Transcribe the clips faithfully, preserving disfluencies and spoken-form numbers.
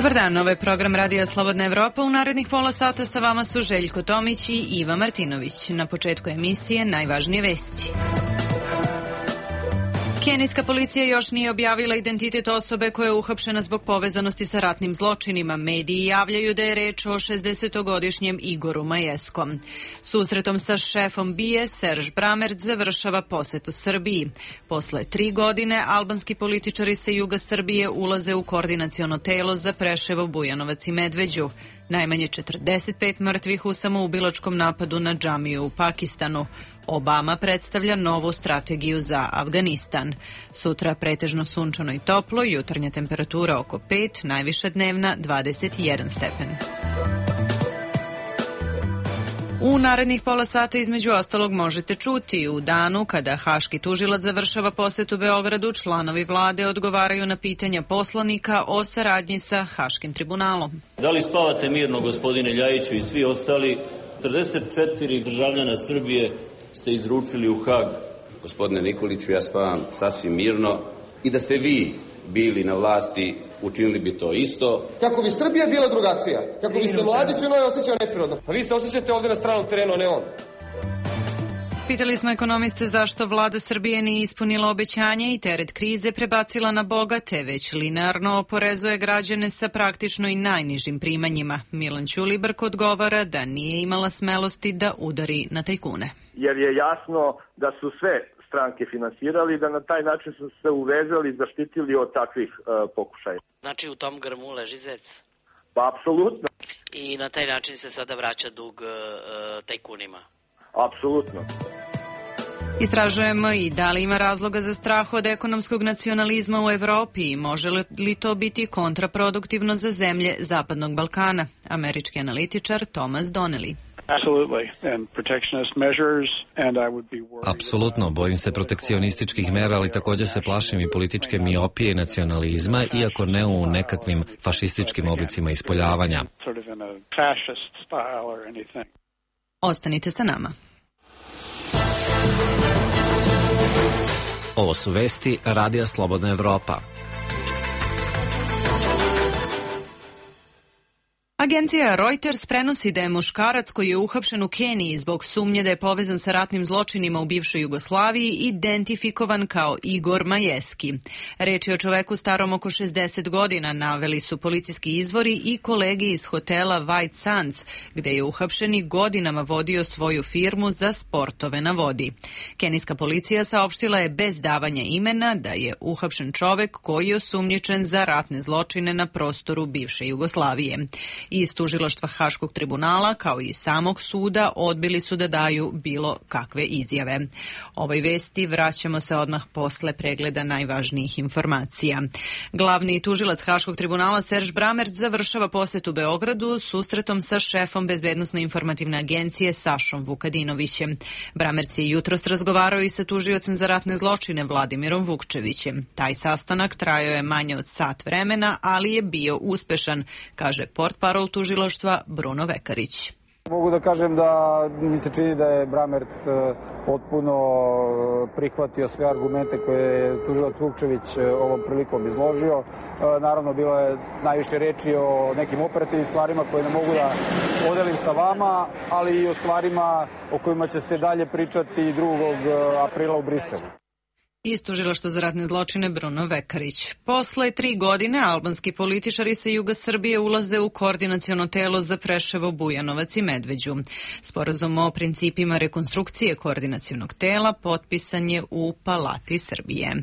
Dobar dan, ovo je program Radija Slobodna Evropa. U narednih pola sata sa vama su Željko Tomić i Iva Martinović. Na početku emisije najvažnije vesti. Kenijska policija još nije objavila identitet osobe koja je uhapšena zbog povezanosti sa ratnim zločinima. Mediji javljaju da je reč o šezdesetogodišnjem Igoru Majeskom. Susretom sa šefom B I A Serge Brammertz završava posetu Srbiji. Posle tri godine albanski političari sa juga Srbije ulaze u koordinaciono telo za Preševo, Bujanovac i Medveđu. Najmanje četrdeset pet mrtvih u samoubilačkom napadu na džamiju u Pakistanu. Obama predstavlja novu strategiju za Afganistan. Sutra pretežno sunčano i toplo, jutarnja temperatura oko pet, najviša dnevna dvadeset jedan stepen. U narednih pola sata između ostalog možete čuti: u danu kada haški tužilac završava posetu Beogradu, članovi vlade odgovaraju na pitanja poslanika o saradnji sa Haškim tribunalom. Da li spavate mirno, gospodine Ljajiću i svi ostali? četrdeset četiri državljana Srbije ste izručili u Hag. Gospodine Nikoliću, ja spavam sasvim mirno i da ste vi bili na vlasti, učinili bi to isto. Kako bi Srbija bila drugačija, kako bi se mladić u njoj osjećao neprirodno. Pa vi se osjećate ovdje na stranom terenu, a ne on. Pitali smo ekonomiste zašto vlada Srbije nije ispunila obećanje i teret krize prebacila na bogate, već linearno oporezuje građane sa praktično i najnižim primanjima. Milan Ćulibrk odgovara da nije imala smelosti da udari na tajkune. Jer je jasno da su sve stranke finansirali i da na taj način su se uvezali i zaštitili od takvih uh, pokušaja. Znači u tom grmu leži zec? Pa apsolutno. I na taj način se sada vraća dug uh, tajkunima? Apsolutno. Istražujemo i da li ima razloga za strah od ekonomskog nacionalizma u Evropi i može li to biti kontraproduktivno za zemlje Zapadnog Balkana. Američki analitičar Thomas Donnelly. Apsolutno, bojim se protekcionističkih mera, ali također se plašim i političke miopije i nacionalizma, iako ne u nekakvim fašističkim oblicima ispoljavanja. Ostanite sa nama. Ovo su vesti Radija Slobodna Evropa. Agencija Reuters prenosi da je muškarac koji je uhapšen u Keniji zbog sumnje da je povezan sa ratnim zločinima u bivšoj Jugoslaviji identifikovan kao Igor Majeski. Reč je o čoveku starom oko šezdeset godina, naveli su policijski izvori i kolegi iz hotela White Sands, gde je uhapšeni godinama vodio svoju firmu za sportove na vodi. Kenijska policija saopštila je bez davanja imena da je uhapšen čovek koji je osumnjičen za ratne zločine na prostoru bivše Jugoslavije. Iz tužilaštva Haškog tribunala, kao i samog suda, odbili su da daju bilo kakve izjave. Ovoj vesti vraćamo se odmah posle pregleda najvažnijih informacija. Glavni tužilac Haškog tribunala Serge Brammertz završava posetu Beogradu susretom sa šefom Bezbednosno-informativne agencije Sašom Vukadinovićem. Brammertz je jutros razgovarao i sa tužiocem za ratne zločine Vladimirom Vukčevićem. Taj sastanak trajao je manje od sat vremena, ali je bio uspešan, kaže portparol tužilaštva Bruno Vekarić. Mogu da kažem da mi se čini da je Brammertz potpuno prihvatio sve argumente koje je tužilac Vukčević ovom prilikom izložio. Naravno, bilo je najviše reči o nekim operativnim stvarima koje ne mogu da podelim sa vama, ali i o stvarima o kojima će se dalje pričati drugog aprila u Briselu. Iz tužilaštva za ratne zločine Bruno Vekarić. Posle tri godine albanski političari sa juga Srbije ulaze u koordinaciono telo za Preševo, Bujanovac i Medveđu. Sporazum o principima rekonstrukcije koordinacionog tela potpisan je u Palati Srbije.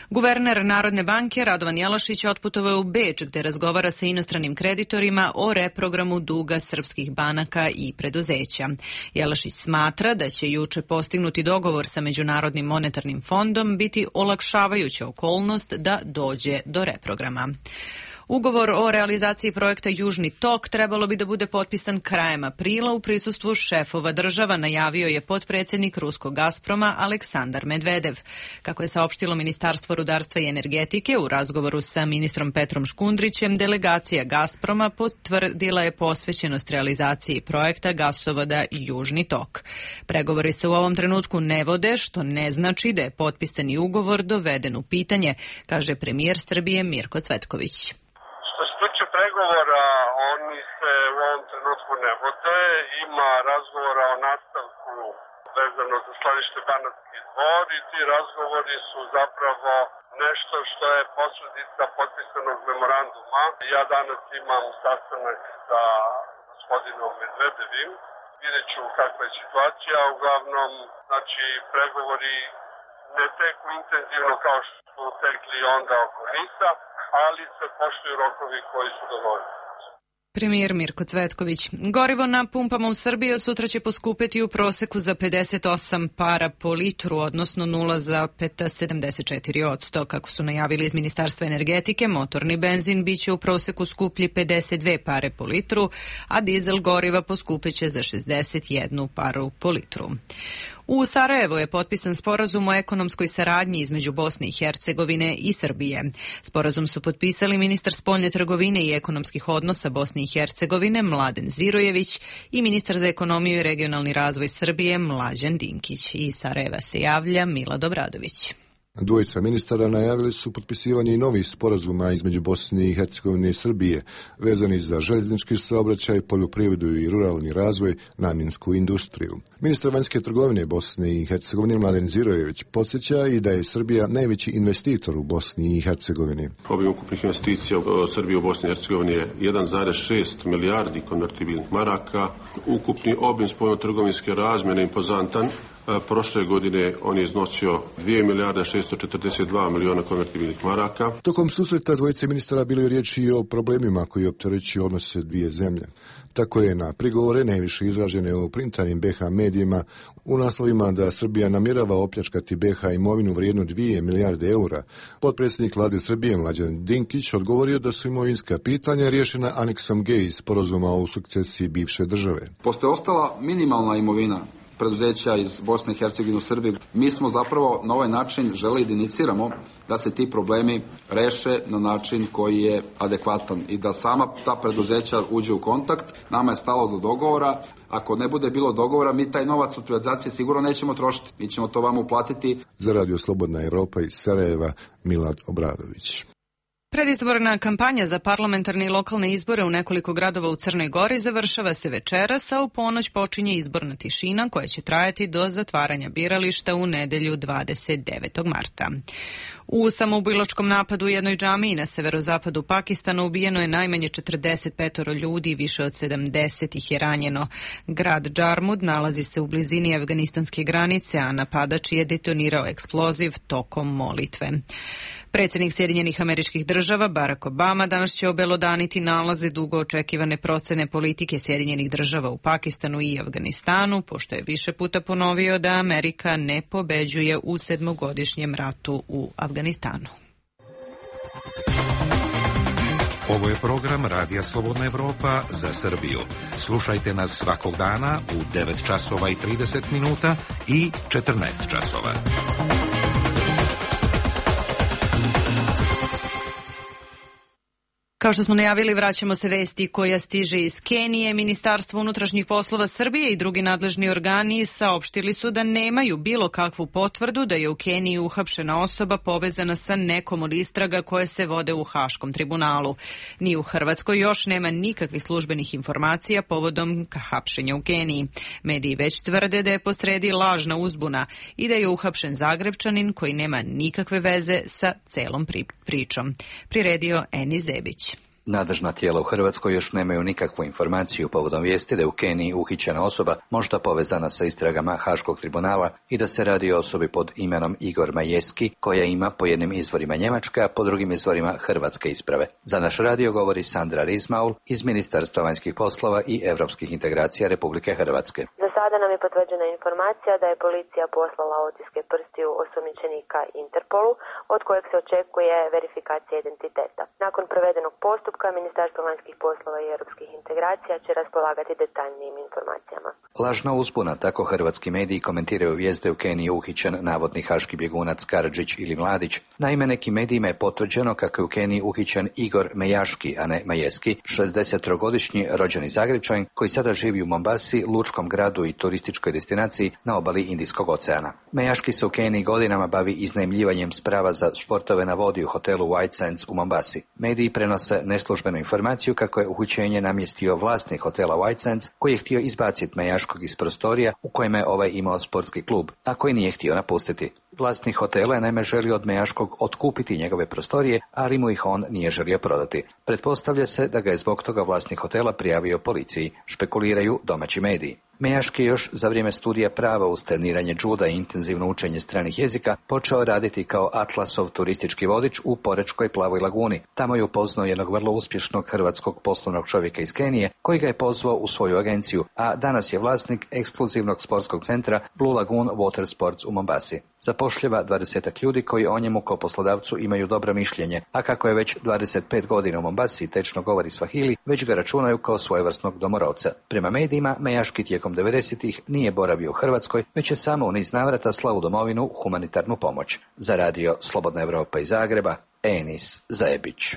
Guverner Narodne banke Radovan Jelašić otputovao u Beč, gde razgovara sa inostranim kreditorima o reprogramu duga srpskih banaka i preduzeća. Jelašić smatra da će juče postignuti dogovor sa Međunarodnim monetarnim fondom biti olakšavajuća okolnost da dođe do reprograma. Ugovor o realizaciji projekta Južni tok trebalo bi da bude potpisan krajem aprila u prisustvu šefova država, najavio je potpredsjednik ruskog Gazproma Aleksandar Medvedev. Kako je saopštilo Ministarstvo rudarstva i energetike u razgovoru sa ministrom Petrom Škundrićem, delegacija Gazproma potvrdila je posvećenost realizaciji projekta gasovoda Južni tok. Pregovori se u ovom trenutku ne vode, što ne znači da je potpisani ugovor doveden u pitanje, kaže premijer Srbije Mirko Cvetković. Što se tiče Razgovora oni se u ovom trenutku ne vode, ima razgovora o nastavku vezano za skladište Banatski Dvor i ti razgovori su zapravo nešto što je posledica potpisanog memoranduma. Ja danas imam sastanak sa gospodinom Medvedevim, vidjet ću kakva je situacija, uglavnom, znači, pregovori ne teku intenzivno kao što su tekli onda oko Nisa, ali se poštuju rokovi koji su dovoljni. Premijer Mirko Cvetković. Gorivo na pumpama u Srbiji sutra će poskupeti u proseku za pedeset osam para po litru, odnosno nula zarez sedamdeset četiri posto. Kako su najavili iz Ministarstva energetike, motorni benzin biće u proseku skuplji pedeset dve pare po litru, a dizel goriva poskupeće za šezdeset jednu paru po litru. U Sarajevu je potpisan sporazum o ekonomskoj saradnji između Bosne i Hercegovine i Srbije. Sporazum su potpisali ministar spoljne trgovine i ekonomskih odnosa Bosne i Hercegovine Mladen Zirojević i ministar za ekonomiju i regionalni razvoj Srbije Mlađan Dinkić. Iz Sarajeva se javlja Milad Obradović. Dvojica ministara najavili su potpisivanje i novih sporazuma između Bosne i Hercegovine i Srbije, vezani za željeznički saobraćaj, poljoprivredu i ruralni razvoj, namjensku industriju. Ministar vanjske trgovine Bosne i Hercegovine Mladen Zirojević podsjeća i da je Srbija najveći investitor u Bosni i Hercegovini. Obim ukupnih investicija u Srbiji u Bosni i Hercegovini je jedan zarez šest milijardi konvertibilnih maraka. Ukupni obim spoljnotrgovinske razmjene impozantan. Prošle godine on je iznosio dvije milijarde šesto četrdeset dva miliona konvertibilnih maraka. Tokom susreta dvojice ministara bilo je riječi i o problemima koji opterećuju odnose dvije zemlje. Tako je na prigovore najviše izražene u printanim B H medijima u naslovima da Srbija namjerava opljačkati B H imovinu vrijednu dvije milijarde eura. Potpredsjednik vlade Srbije Mlađan Dinkić odgovorio da su imovinska pitanja riješena aneksom G iz sporazuma o sukcesiji bivše države. Postoje ostala minimalna imovina preduzeća iz Bosne i Hercegovine u Srbiji. Mi smo zapravo na ovaj način želeli da iniciramo da se ti problemi reše na način koji je adekvatan i da sama ta preduzeća uđe u kontakt. Nama je stalo do dogovora. Ako ne bude bilo dogovora, mi taj novac od privatizacije sigurno nećemo trošiti. Mi ćemo to vama uplatiti. Za Radio Slobodna Evropa iz Sarajeva, Milad Obradović. Predizborna kampanja za parlamentarne i lokalne izbore u nekoliko gradova u Crnoj Gori završava se večeras, a u ponoć počinje izborna tišina koja će trajati do zatvaranja birališta u nedelju dvadeset devetog marta. U samoubilačkom napadu u jednoj džamiji na severozapadu Pakistana ubijeno je najmanje četrdeset pet ljudi, više od sedamdeset ih je ranjeno. Grad Džarmud nalazi se u blizini afganistanske granice, a napadač je detonirao eksploziv tokom molitve. Predsjednik Sjedinjenih Američkih Država Barack Obama danas će obelodaniti nalaze dugo očekivane procene politike Sjedinjenih Država u Pakistanu i Afganistanu, pošto je više puta ponovio da Amerika ne pobeđuje u sedmogodišnjem ratu u Afganistanu. Ovo je program Radija Slobodna Evropa za Srbiju. Slušajte nas svakog dana u devet časova i trideset minuta i četrnaest časova. Kao što smo najavili, vraćamo se vesti koja stiže iz Kenije. Ministarstvo unutrašnjih poslova Srbije i drugi nadležni organi saopštili su da nemaju bilo kakvu potvrdu da je u Keniji uhapšena osoba povezana sa nekom od istraga koje se vode u Haškom tribunalu. Ni u Hrvatskoj još nema nikakvih službenih informacija povodom hapšenja u Keniji. Mediji već tvrde da je posredi lažna uzbuna i da je uhapšen Zagrebčanin koji nema nikakve veze sa celom pričom. Priredio Eni Zebić. Nadležna tijela u Hrvatskoj još nemaju nikakvu informaciju povodom vijesti da je u Keniji uhićena osoba možda povezana sa istragama Haškog tribunala i da se radi o osobi pod imenom Igor Majeski, koja ima po jednim izvorima njemačke, a po drugim izvorima hrvatske isprave. Za naš radio govori Sandra Rizmaul iz Ministarstva vanjskih poslova i europskih integracija Republike Hrvatske. Za sada nam je potvrđena informacija da je policija poslala otiske prstiju osumnjičenika Interpolu, od kojeg se očekuje verifikacija identiteta. Nakon provedenog postupka Ministarstvo vanjskih poslova i europskih integracija će raspolagati detaljnijim informacijama. Lažna uzbuna, tako hrvatski mediji komentiraju vijest da je u Keniji uhićen navodni haški bjegunac Karadžić ili Mladić. Naime, nekim medijima je potvrđeno kako je u Keniji uhićen Igor Mejaški, a ne Majeski, šezdesettrogodišnji rođeni Zagrebčanin koji sada živi u Mombasi, lučkom gradu i turističkoj destinaciji na obali Indijskog oceana. Mejaški se u Keniji godinama bavi iznajmljivanjem sprava za sportove na vodi u hotelu White Sands u Mombasi. Mediji prenose neslužbenu informaciju kako je uhićenje namjestio vlasnik hotela White Sands, koji je htio izbaciti Mejaškog iz prostorija u kojima je ovaj imao sportski klub, a koji nije htio napustiti. Vlasnik hotela je naime želio od Mejaškog otkupiti njegove prostorije, ali mu ih on nije želio prodati. Pretpostavlja se da ga je zbog toga vlasnik hotela prijavio policiji, špekuliraju domaći mediji. Mejaški je još za vrijeme studija prava uz treniranje džuda i intenzivno učenje stranih jezika počeo raditi kao Atlasov turistički vodič u Porečkoj Plavoj laguni. Tamo je upoznao jednog vrlo uspješnog hrvatskog poslovnog čovjeka iz Kenije koji ga je pozvao u svoju agenciju, a danas je vlasnik ekskluzivnog sportskog centra Blue Lagoon Water Sports u Mombasi. Zapošljava dvadesetak ljudi koji o njemu kao poslodavcu imaju dobro mišljenje, a kako je već dvadeset pet godina u Mombasi i tečno govori svahili, već ga računaju kao svojevrsnog domorodca. Prema medijima, Mejaški tijekom devedesetih nije boravio u Hrvatskoj, već je samo u niz navrata slao u domovinu humanitarnu pomoć. Za radio Slobodna Evropa iz Zagreba, Enis Zajebić.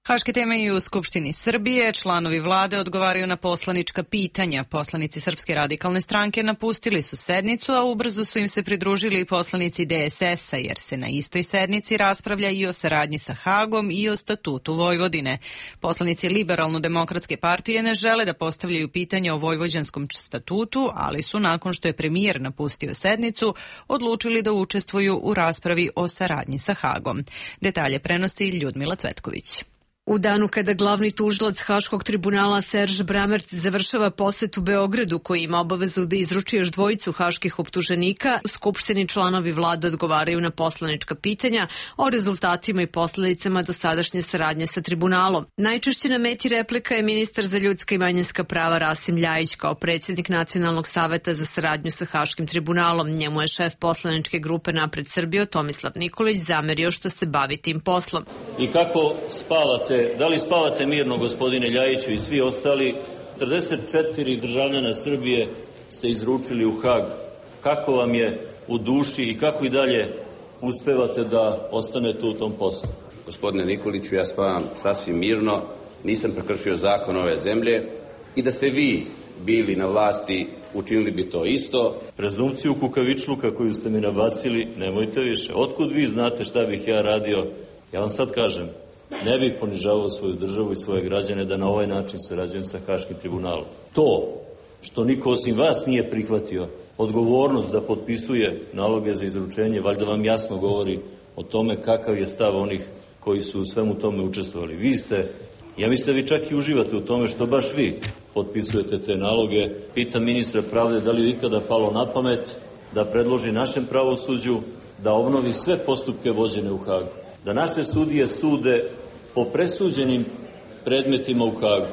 Haške teme i u Skupštini Srbije. Članovi vlade odgovaraju na poslanička pitanja. Poslanici Srpske radikalne stranke napustili su sednicu, a ubrzo su im se pridružili i poslanici D S S-a, jer se na istoj sednici raspravlja i o saradnji sa Hagom i o statutu Vojvodine. Poslanici Liberalno-demokratske partije ne žele da postavljaju pitanja o vojvođanskom statutu, ali su, nakon što je premijer napustio sednicu, odlučili da učestvuju u raspravi o saradnji sa Hagom. Detalje prenosi Ljudmila Cvetković. U danu kada glavni tužilac Haškog tribunala Serž Bramerc završava posetu Beogradu, koji ima obavezu da izruči još dvojicu haških optuženika, skupštini članovi vlade odgovaraju na poslanička pitanja o rezultatima i posljedicama dosadašnje saradnje sa tribunalom. Najčešće na meti replika je ministar za ljudska i manjinska prava Rasim Ljajić, kao predsjednik Nacionalnog saveta za saradnju sa Haškim tribunalom. Njemu je šef poslaničke grupe Napred Srbijo Tomislav Nikolić zamerio što se bavi tim poslom. I kako spavate? Da li spavate mirno, gospodine Ljajiću i svi ostali? četrdeset četiri državljana Srbije ste izručili u Hag. Kako vam je u duši i kako i dalje uspevate da ostanete u tom poslu? Gospodine Nikoliću, ja spavam sasvim mirno, nisam prekršio zakon ove zemlje i da ste vi bili na vlasti, učinili bi to isto. Prezumciju kukavičluka koju ste mi nabacili, nemojte više. Otkud vi znate šta bih ja radio? Ja vam sad kažem, ne bih ponižavao svoju državu i svoje građane da na ovaj način sarađujem sa Haškim tribunalom. To što niko osim vas nije prihvatio odgovornost da potpisuje naloge za izručenje, valjda vam jasno govori o tome kakav je stav onih koji su u svemu tome učestvovali. Vi ste, ja mislim da vi čak i uživate u tome što baš vi potpisujete te naloge. Pitam ministra pravde da li je ikada palo na pamet da predloži našem pravosuđu da obnovi sve postupke vođene u Hagu. Da naše sudije sude po presuđenim predmetima u Hagu.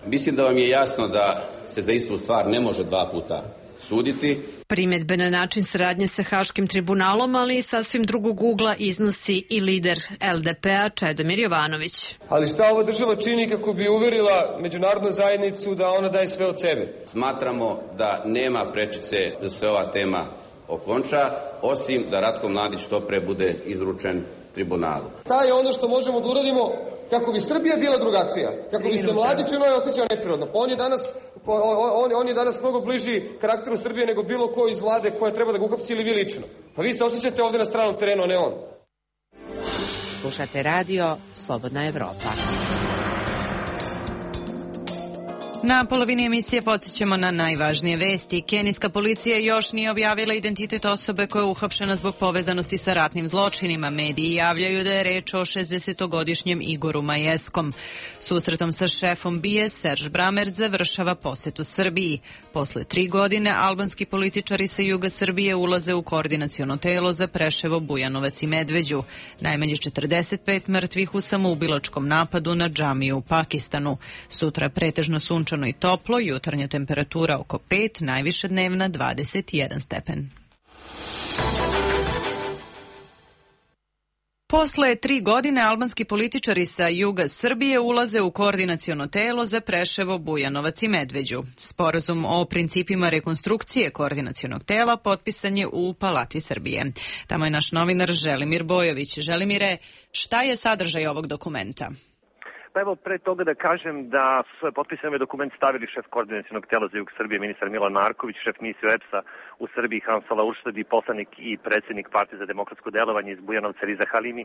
Mislim da vam je jasno da se za istu stvar ne može dva puta suditi. Primjedbe na način saradnje sa Haškim tribunalom, ali i sasvim drugog ugla iznosi i lider L D P-a Čedomir Jovanović. Ali šta ova država čini kako bi uverila međunarodnu zajednicu da ona daje sve od sebe? Smatramo da nema prečice da se ova tema okonča, osim da Ratko Mladić što pre bude izručen tribunalu. Ta je ono što možemo da uradimo kako bi Srbija bila drugačija, kako bi se Mladić u njoj osjećao neprirodno. Pa on je danas, on, on je danas mnogo bliži karakteru Srbije nego bilo ko iz vlade koja treba da ga uhapsi ili vi lično. Pa vi se osjećate ovde na stranom terenu, a ne on. Slušate radio Slobodna Evropa. Na polovini emisije podsjećamo na najvažnije vesti. Kenijska policija još nije objavila identitet osobe koja je uhapšena zbog povezanosti sa ratnim zločinima. Mediji javljaju da je reč o šezdesetogodišnjem Igoru Majeskom. Susretom sa šefom B I A Serž Bramerc završava posetu Srbiji. Posle tri godine albanski političari sa juga Srbije ulaze u koordinaciono telo za Preševo, Bujanovac i Medveđu. Najmanje četrdeset pet mrtvih u samoubilačkom napadu na džamiju u Pakistanu. Sutra pretežno sunčano i toplo, jutarnja temperatura oko pet, najviša dnevna dvadeset jedan stepen. Posle tri godine albanski političari sa juga Srbije ulaze u koordinaciono telo za Preševo, Bujanovac i Medveđu. Sporazum o principima rekonstrukcije koordinacionog tela potpisan je u Palati Srbije. Tamo je naš novinar Želimir Bojović. Želimire, šta je sadržaj ovog dokumenta? Pa evo, pre toga da kažem da su potpisani ovaj dokument stavili šef koordinacionog tela za jug Srbije, ministar Milan Marković, šef misije O E P S-a u Srbiji Hansala Urštad i poslanik i predsjednik Partije za demokratsko delovanje iz Bujanovca Riza Halimi.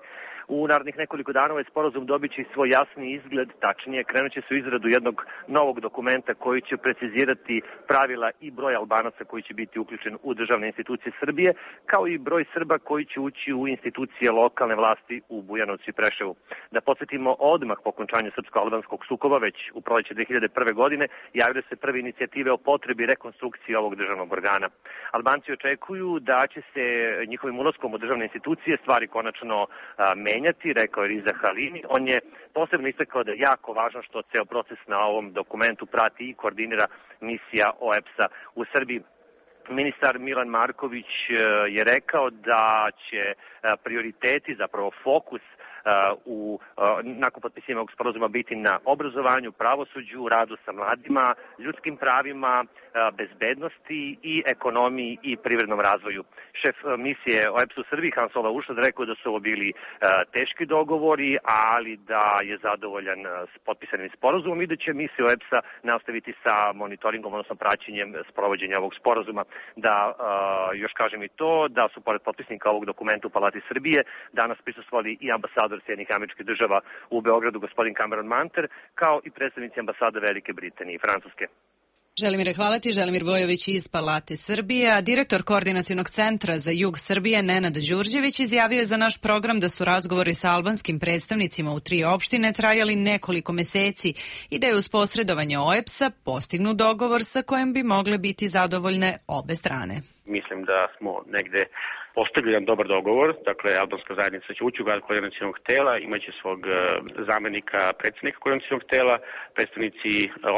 U narednih nekoliko dana ovaj sporazum dobit će svoj jasni izgled, tačnije krenut će se u izradu jednog novog dokumenta koji će precizirati pravila i broj Albanaca koji će biti uključen u državne institucije Srbije, kao i broj Srba koji će ući u institucije lokalne vlasti u Bujanovcu i Preševu. Da podsjetimo, odmah po okončanju srpsko-albanskog sukoba, već u proleće dve hiljade prve. godine, javile se prve inicijative o potrebi rekonstrukcije ovog državnog organa. Albanci očekuju da će se njihovim ulaskom u državne institucije stvari konačno a, menjati, rekao je Riza Halimi. On je posebno istakao da je jako važno što ceo proces na ovom dokumentu prati i koordinira misija O E P S-a u Srbiji. Ministar Milan Marković je rekao da će prioriteti, zapravo fokus u, nakon potpisivanja ovog sporazuma biti na obrazovanju, pravosuđu, radu sa mladima, ljudskim pravima, bezbednosti i ekonomiji i privrednom razvoju. Šef misije O E P S u Srbiji Hansala Urštad rekao da su ovo bili teški dogovori, ali da je zadovoljan s potpisanim sporazumom i da će misija O E P S-a nastaviti sa monitoringom, odnosno praćenjem sprovođenja ovog sporazuma. Da još kažem i to, da su pored potpisnika ovog dokumenta u Palati Srbije danas prisustvovali i ambasador Sjedinjenih Američkih Država u Beogradu, gospodin Cameron Manter, kao i predstavnici ambasade Velike Britanije i Francuske. Želimir, hvala ti. Želimir Vojović iz Palate Srbije, a direktor Koordinacionog centra za jug Srbije Nenad Đurđević izjavio je za naš program da su razgovori sa albanskim predstavnicima u tri opštine trajali nekoliko meseci i da je uz posredovanje O E P S-a postignut dogovor sa kojim bi mogle biti zadovoljne obe strane. Mislim da smo negde postigli jedan dobar dogovor, dakle albanska zajednica će ući u rad koordinacionog tela, imaće svog zamenika predsjednika koordinacionog tela, predstavnici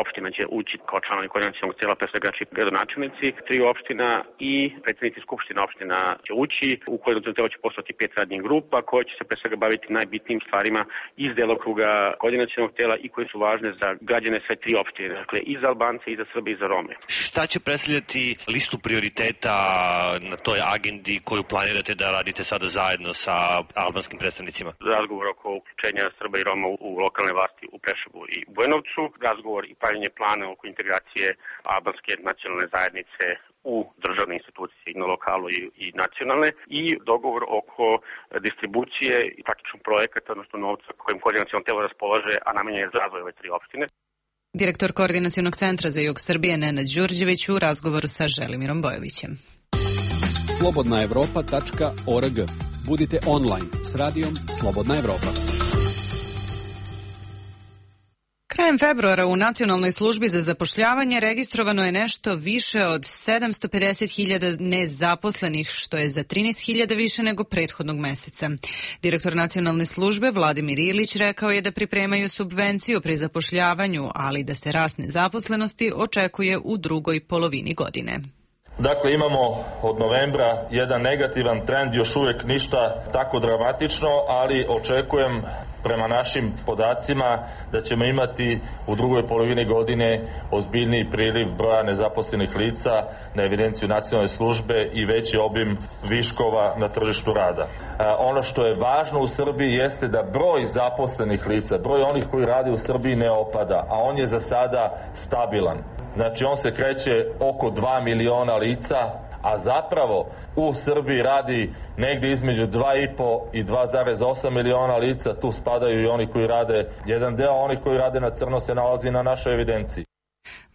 opština će ući kao članovi koordinacionog tela, pre svega gradonačelnici tri opština i predstavnici skupština opština će ući. U koordinacionog tela će postati pet radnih grupa koje će se pre svega baviti najbitnijim stvarima iz delokruga koordinacionog tela i koje su važne za građane sve tri opštine, dakle i za Albance, i za Srbe, i za Rome. Šta će predstavljati listu prioriteta na toj agendi koju planirate da radite sada zajedno sa albanskim predstavnicima? Razgovor oko uključenja Srba i Roma u lokalne vlasti u Preševu i Bujanovcu, razgovor i pravljenje plana oko integracije albanske nacionalne zajednice u državne institucije i na lokalu i, i nacionalne, i dogovor oko distribucije i praktičnog projekata, odnosno novca kojim koordinaciono telo raspolaže, a namenjen je za razvoj ove tri opštine. Direktor Koordinacionog centra za jug Srbije Nenad Đurđević u razgovoru sa Želimirom Bojovićem. slobodna evropa tačka org. Budite online s radijom Slobodna Evropa. Krajem februara u Nacionalnoj službi za zapošljavanje registrovano je nešto više od sedamsto pedeset hiljada nezaposlenih, što je za trinaest hiljada više nego prethodnog meseca. Direktor Nacionalne službe Vladimir Ilić rekao je da pripremaju subvenciju pri zapošljavanju, ali da se rast nezaposlenosti očekuje u drugoj polovini godine. Dakle, imamo od novembra jedan negativan trend, još uvijek ništa tako dramatično, ali očekujem prema našim podacima da ćemo imati u drugoj polovini godine ozbiljniji priliv broja nezaposlenih lica na evidenciju nacionalne službe i veći obim viškova na tržištu rada. E, ono što je važno u Srbiji jeste da broj zaposlenih lica, broj onih koji rade u Srbiji ne opada, a on je za sada stabilan. Znači on se kreće oko dva miliona lica, a zapravo u Srbiji radi negdje između dva i po i dva zarez osam miliona lica, tu spadaju i oni koji rade, jedan deo onih koji rade na crno se nalazi na našoj evidenciji.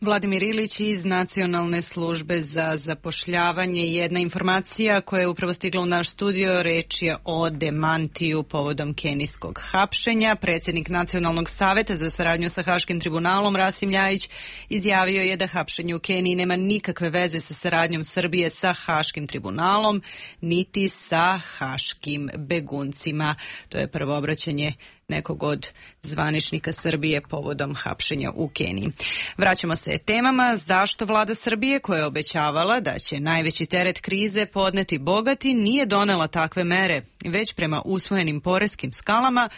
Vladimir Ilić iz Nacionalne službe za zapošljavanje. Jedna informacija koja je upravo stigla u naš studio, reč je o demantiju povodom kenijskog hapšenja. Predsjednik Nacionalnog saveta za saradnju sa Haškim tribunalom Rasim Ljajić izjavio je da hapšenje u Keniji nema nikakve veze sa saradnjom Srbije sa Haškim tribunalom, niti sa haškim beguncima. To je prvo obraćanje nekog od zvaničnika Srbije povodom hapšenja u Keniji. Vraćamo se temama. Zašto vlada Srbije, koja je obećavala da će najveći teret krize podneti bogati, nije donela takve mere, već prema usvojenim poreskim skalama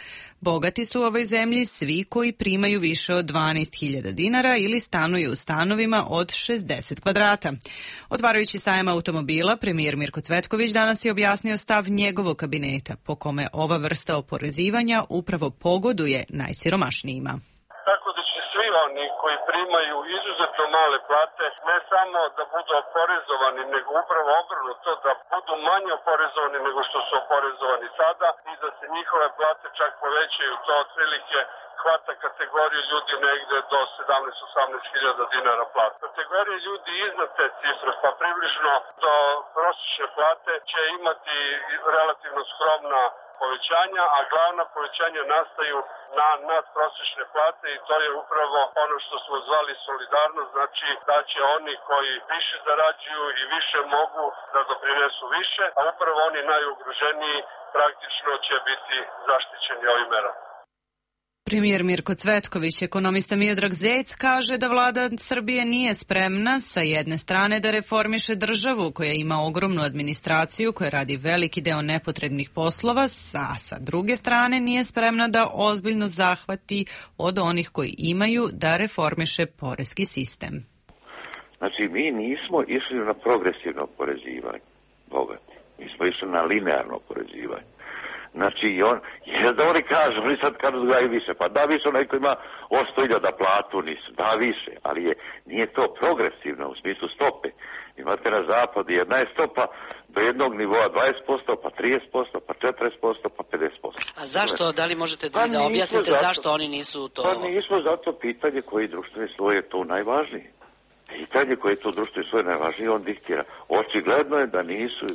bogati su u ovoj zemlji svi koji primaju više od dvanaest hiljada dinara ili stanuju u stanovima od šezdeset kvadrata. Otvarajući sajam automobila, premijer Mirko Cvetković danas je objasnio stav njegovog kabineta, po kome ova vrsta oporezivanja upravo upravo pogoduje najsiromašnijima. Tako da će svi oni koji primaju izuzetno male plate ne samo da budu oporezovani, nego upravo obrnuto, da budu manje oporezovani nego što su oporezovani sada i da se njihove plate čak povećaju. To otprilike hvata kategoriju ljudi negde do sedamnaest do osamnaest hiljada dinara plata. Kategorije ljudi iznad te cifre, pa približno do prosječne plate, će imati relativno skromna povećanja, a glavna povećanja nastaju na nadprosječne plate i to je upravo ono što smo zvali solidarnost, znači da će oni koji više zarađuju i više mogu da doprinesu više, a upravo oni najugroženiji praktično će biti zaštićeni ovim merama. Premijer Mirko Cvetković, ekonomista Miodrag Zec kaže da vlada Srbije nije spremna sa jedne strane da reformiše državu koja ima ogromnu administraciju koja radi veliki deo nepotrebnih poslova, a sa druge strane nije spremna da ozbiljno zahvati od onih koji imaju da reformiše poreski sistem. Znači, mi nismo išli na progresivno oporezivanje bogati, mi smo išli na linearno oporezivanje. Znači, on, jer da oni kažu, oni sad kažu da je više, pa da više onaj ko ima sto hiljada platu, nisu, da više, ali je, nije to progresivno u smislu stope. Imate na zapadu jedna je stopa do jednog nivoa dvadeset posto, pa trideset posto, pa četrdeset posto, pa pedeset posto. A zašto, da li možete da, pa da objasnite zato, zašto oni nisu to... Pa nismo zato pitanje koji društveni sloj je to najvažnije. Pitanje koje je to društveni sloj najvažnije, on diktira. Očigledno je da nisu...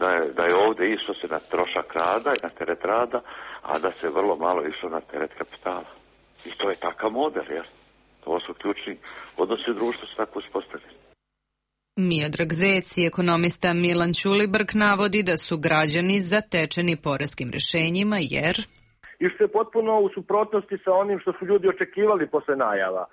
Da je, da je ovdje išlo se na trošak rada i na teret rada, a da se vrlo malo išlo na teret kapitala. I to je takav model, jer to su ključni odnosi u društvu su tako uspostavljeni. Miodrag Zec i ekonomista Milan Ćulibrk navodi da su građani zatečeni poreskim rešenjima jer... I što je potpuno u suprotnosti sa onim što su ljudi očekivali posle najava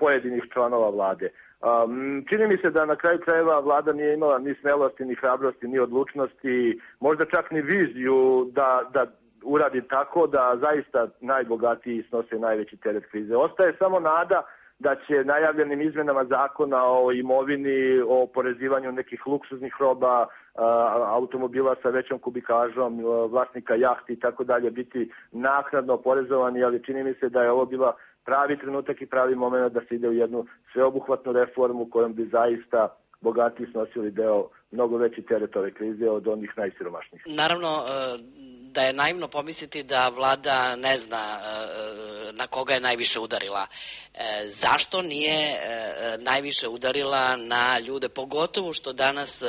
pojedinih članova vlade. Um, čini mi se da na kraju krajeva vlada nije imala ni smelosti, ni hrabrosti, ni odlučnosti, možda čak ni viziju da, da uradi tako da zaista najbogatiji snose najveći teret krize. Ostaje samo nada da će najavljenim izmenama zakona o imovini, o oporezivanju nekih luksuznih roba, automobila sa većom kubikažom, vlasnika jahti i tako dalje biti naknadno oporezovani, ali čini mi se da je ovo bila pravi trenutak i pravi moment da se ide u jednu sveobuhvatnu reformu kojom bi zaista bogatiji snosili deo mnogo veći teret ove krize od onih najsiromašnijih. Naravno da je naivno pomisliti da vlada ne zna na koga je najviše udarila. Zašto nije najviše udarila na ljude, pogotovo što danas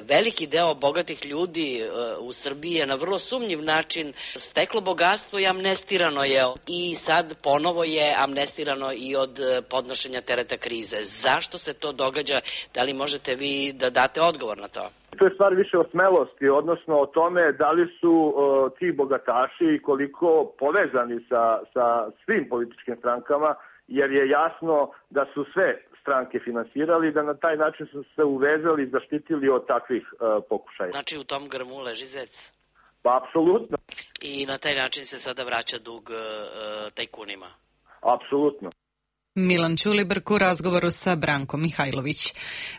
veliki deo bogatih ljudi u Srbiji je na vrlo sumnjiv način steklo bogatstvo i amnestirano je i sad ponovo je amnestirano i od podnošenja tereta krize. Zašto se to događa? Da li možete vi da date odgovor na to? To je stvar više o smelosti, odnosno o tome da li su uh, ti bogataši i koliko povezani sa, sa svim političkim strankama, jer je jasno da su sve stranke finansirali i da na taj način su se uvezali i zaštitili od takvih uh, pokušaja. Znači u tom grmu leži zec? Pa apsolutno. I na taj način se sada vraća dug uh, tajkunima? Apsolutno. Milan Ćulibrk u razgovoru sa Brankom Mihajlović.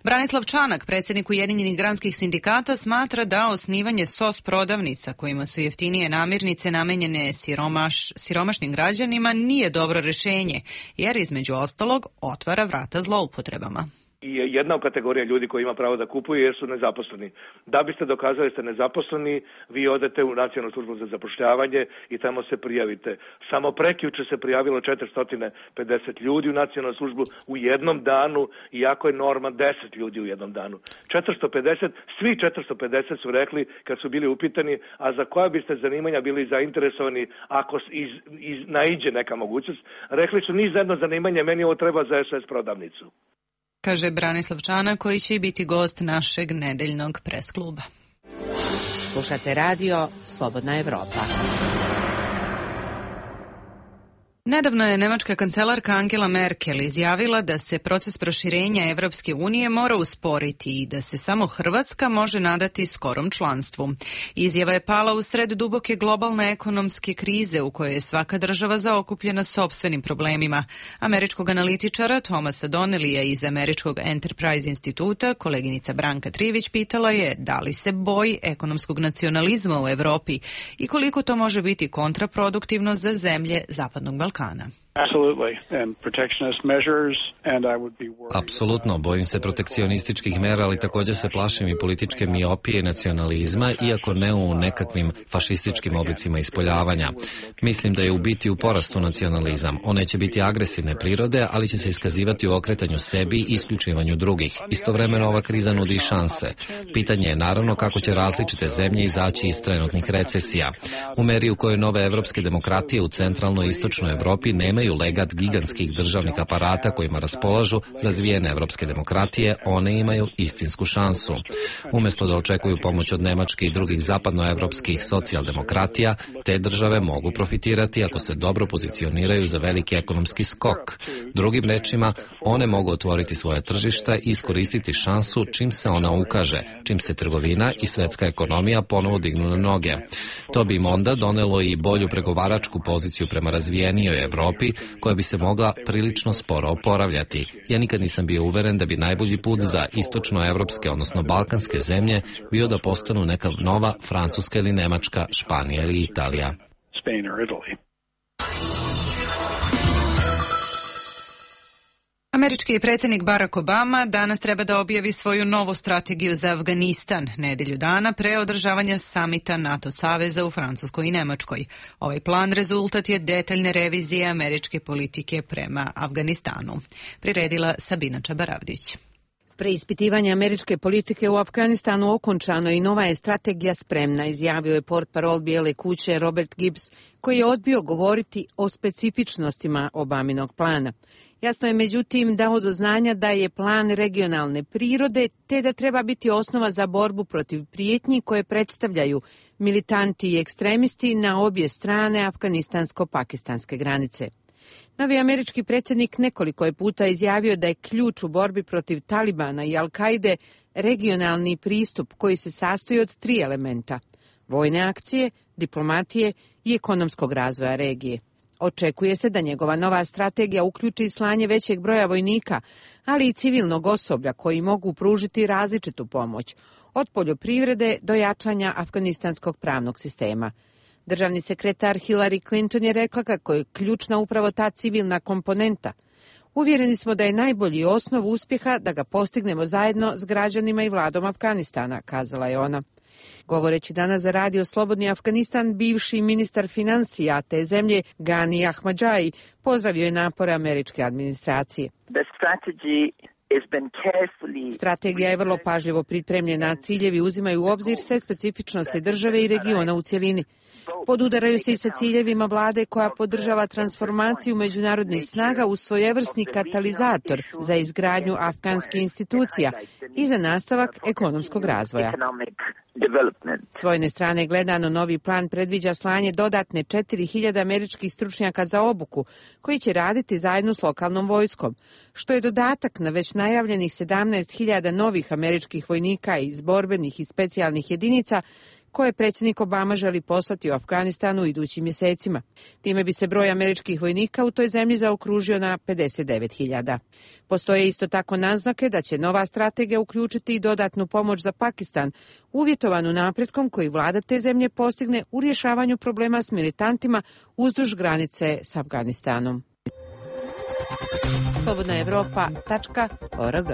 Branislav Čanak, predsjednik Ujedinjenih granskih sindikata, smatra da osnivanje S O S prodavnica kojima su jeftinije namirnice namenjene siromaš, siromašnim građanima nije dobro rješenje, jer između ostalog otvara vrata zloupotrebama. I jedna kategorija ljudi koji ima pravo da kupuju jer su nezaposleni. Da biste dokazali da ste nezaposleni, vi odete u Nacionalnu službu za zapošljavanje i tamo se prijavite. Samo prekjuče se prijavilo četiristo pedeset ljudi u Nacionalnu službu u jednom danu, iako je norma deset ljudi u jednom danu. četiristo pedeset, svi četiristo pedeset su rekli kad su bili upitani, a za koja biste zanimanja bili zainteresovani ako iz, iz, naiđe neka mogućnost, rekli su ni za jedno zanimanje, meni ovo treba za S O S prodavnicu. Kaže Branislav Čanak koji će biti gost našeg nedeljnog pres kluba. Slušate radio Slobodna Evropa. Nedavno je nemačka kancelarka Angela Merkel izjavila da se proces proširenja Evropske unije mora usporiti i da se samo Hrvatska može nadati skorom članstvu. Izjava je pala u sred duboke globalne ekonomske krize u kojoj je svaka država zaokupljena sopstvenim problemima. Američkog analitičara Thomasa Donnellija iz Američkog Enterprise instituta, koleginica Branka Trivić, pitala je da li se boji ekonomskog nacionalizma u Evropi i koliko to može biti kontraproduktivno za zemlje Zapadnog Balkana. Apsolutno, bojim se protekcionističkih mera, ali također se plašim i političke miopije i nacionalizma, iako ne u nekakvim fašističkim oblicima ispoljavanja. Mislim da je u biti u porastu nacionalizam. On neće biti agresivne prirode, ali će se iskazivati u okretanju sebi i isključivanju drugih. Istovremeno ova kriza nudi šanse. Pitanje je naravno kako će različite zemlje izaći iz trenutnih recesija. U meri u kojoj nove evropske demokratije u centralnoj i istočnoj Evropi nemaju legat gigantskih državnih aparata kojima raspolažu razvijene evropske demokratije, one imaju istinsku šansu. Umjesto da očekuju pomoć od Nemačke i drugih zapadnoevropskih socijaldemokratija, te države mogu profitirati ako se dobro pozicioniraju za veliki ekonomski skok. Drugim rečima, one mogu otvoriti svoje tržišta i iskoristiti šansu čim se ona ukaže, čim se trgovina i svetska ekonomija ponovo dignu na noge. To bi im onda donelo i bolju pregovaračku poziciju prema razvijenijoj Evropi, koja bi se mogla prilično sporo oporavljati. Ja nikad nisam bio uveren da bi najbolji put za istočnoevropske, odnosno balkanske zemlje bio da postanu neka nova Francuska ili Nemačka, Španija ili Italija. Spain or Italy. Američki predsjednik Barack Obama danas treba da objavi svoju novu strategiju za Afganistan, nedelju dana pre održavanja samita NATO saveza u Francuskoj i Nemačkoj. Ovaj plan rezultat je detaljne revizije američke politike prema Afganistanu. Priredila Sabina Čabaravdić. Preispitivanje američke politike u Afganistanu okončano i nova je strategija spremna, izjavio je portparol Bijele kuće Robert Gibbs, koji je odbio govoriti o specifičnostima Obaminog plana. Jasno je međutim dao do znanja da je plan regionalne prirode te da treba biti osnova za borbu protiv prijetnji koje predstavljaju militanti i ekstremisti na obje strane afganistansko-pakistanske granice. Novi američki predsjednik nekoliko je puta izjavio da je ključ u borbi protiv Talibana i Al-Kaide regionalni pristup koji se sastoji od tri elementa: vojne akcije, diplomatije i ekonomskog razvoja regije. Očekuje se da njegova nova strategija uključi slanje većeg broja vojnika, ali i civilnog osoblja koji mogu pružiti različitu pomoć, od poljoprivrede do jačanja afganistanskog pravnog sistema. Državni sekretar Hillary Clinton je rekla kako je ključna upravo ta civilna komponenta. Uvjereni smo da je najbolji osnov uspjeha da ga postignemo zajedno s građanima i vladom Afganistana, kazala je ona. Govoreći danas za radio Slobodni Afganistan, bivši ministar financija te zemlje Gani Ahmadžaji pozdravio je napore američke administracije. Strategija je vrlo pažljivo pripremljena, a ciljevi uzimaju u obzir sve specifičnosti države i regiona u cjelini. Podudaraju se i sa ciljevima vlade koja podržava transformaciju međunarodnih snaga u svojevrsni katalizator za izgradnju afganskih institucija i za nastavak ekonomskog razvoja. S vojne strane gledano, novi plan predviđa slanje dodatne četiri hiljade američkih stručnjaka za obuku, koji će raditi zajedno s lokalnom vojskom, što je dodatak na već najavljenih sedamnaest hiljada novih američkih vojnika iz borbenih i specijalnih jedinica koje predsjednik Obama želi poslati u Afganistanu u idućim mjesecima. Time bi se broj američkih vojnika u toj zemlji zaokružio na pedeset devet hiljada. Postoje isto tako naznake da će nova strategija uključiti i dodatnu pomoć za Pakistan, uvjetovanu napretkom koji vlada te zemlje postigne u rješavanju problema s militantima uzduž granice s Afganistanom. slobodna evropa tačka org.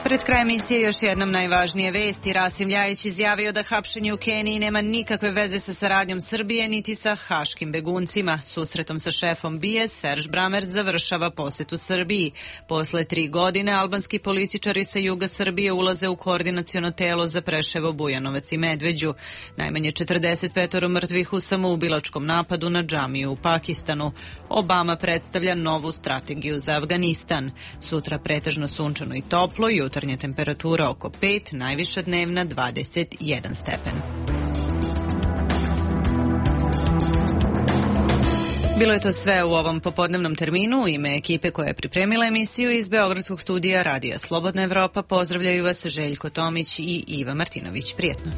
Pred kraj emisije još jednom najvažnije vesti. Rasim Ljajić izjavio da hapšenje u Keniji nema nikakve veze sa saradnjom Srbije niti sa haškim beguncima. Susretom sa šefom B I A Serge Bramerc završava posjetu Srbiji. Posle tri godine albanski političari sa juga Srbije ulaze u koordinaciono telo za Preševo, Bujanovac i Medveđu. Najmanje četrdeset pet mrtvih u samoubilačkom napadu na džamiju u Pakistanu. Obama predstavlja novu strategiju za Afganistan. Sutra pretežno sunčano i toplo, jutro jutarnja temperatura oko pet, najviša dnevna dvadeset jedan stepen. Bilo je to sve u ovom popodnevnom terminu. U ime ekipe koja je pripremila emisiju iz Beogradskog studija Radija Slobodna Evropa pozdravljaju vas Željko Tomić i Iva Martinović. Prijetno.